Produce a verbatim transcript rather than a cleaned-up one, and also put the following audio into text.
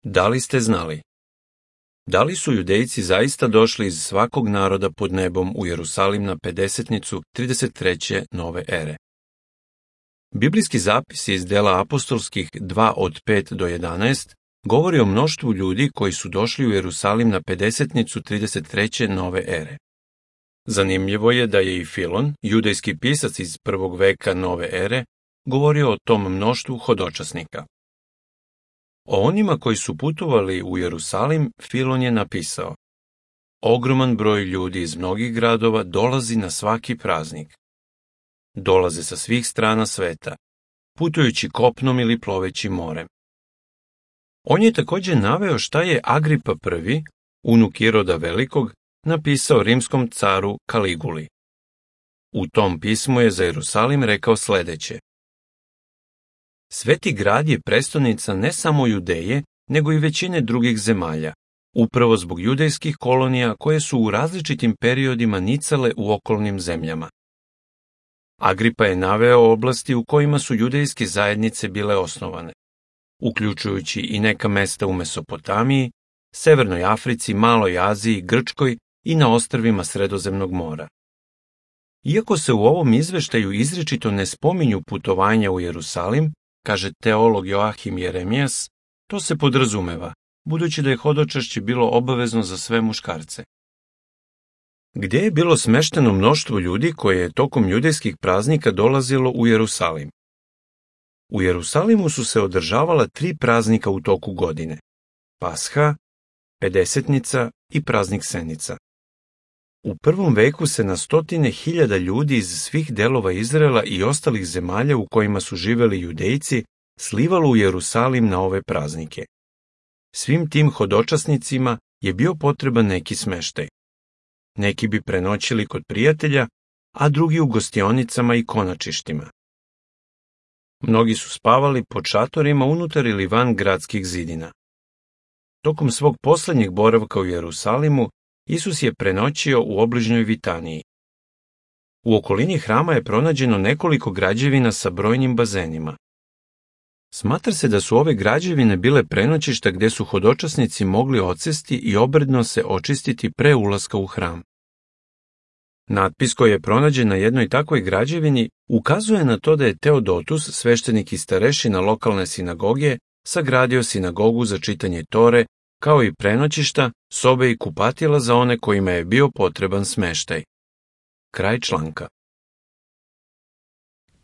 Da li ste znali? Da li su Judejci zaista došli iz svakog naroda pod nebom u Jerusalim na pedesetnicu trideset treće nove ere? Biblijski zapisi iz dela apostolskih dva od pet do jedanaest govori o mnoštvu ljudi koji su došli u Jerusalim na pedesetnicu trideset treće nove ere. Zanimljivo je da je i Filon, judejski pisac iz prvog veka nove ere, govorio o tom mnoštvu hodočasnika. O onima koji su putovali u Jerusalim, Filon je napisao: ogroman broj ljudi iz mnogih gradova dolazi na svaki praznik. Dolaze sa svih strana sveta, putujući kopnom ili ploveći morem. On je također naveo šta je Agripa prvi, unuk Iroda Velikog, napisao rimskom caru Kaliguli. U tom pismu je za Jerusalim rekao sljedeće: Sveti grad je prestonica ne samo Judeje, nego i većine drugih zemalja, upravo zbog judejskih kolonija koje su u različitim periodima nicale u okolnim zemljama. Agripa je naveo oblasti u kojima su judejske zajednice bile osnovane, uključujući i neka mesta u Mesopotamiji, Severnoj Africi, Maloj Aziji, Grčkoj i na ostrvima Sredozemnog mora. Iako se u ovom izveštaju izričito ne spominju putovanja u Jerusalim, kaže teolog Joahim Jeremijas, to se podrazumeva, budući da je hodočašće bilo obavezno za sve muškarce. Gdje je bilo smešteno mnoštvo ljudi koje je tokom judejskih praznika dolazilo u Jerusalim? U Jerusalimu su se održavala tri praznika u toku godine: Pasha, Pedesetnica i praznik Senica. U prvom veku se na stotine hiljada ljudi iz svih delova Izraela i ostalih zemalja u kojima su živeli Judejci slivalo u Jerusalim na ove praznike. Svim tim hodočasnicima je bio potreban neki smeštaj. Neki bi prenoćili kod prijatelja, a drugi u gostionicama i konačištima. Mnogi su spavali pod šatorima unutar ili van gradskih zidina. Tokom svog posljednjeg boravka u Jerusalimu, Isus je prenoćio u obližnjoj Vitaniji. U okolini hrama je pronađeno nekoliko građevina sa brojnim bazenima. Smatra se da su ove građevine bile prenoćišta gdje su hodočasnici mogli odsesti i obredno se očistiti pre ulaska u hram. Natpis koji je pronađen na jednoj takvoj građevini ukazuje na to da je Teodotus, sveštenik i starešina lokalne sinagoge, sagradio sinagogu za čitanje Tore, kao i prenoćišta, sobe i kupatila za one kojima je bio potreban smeštaj. Kraj članka.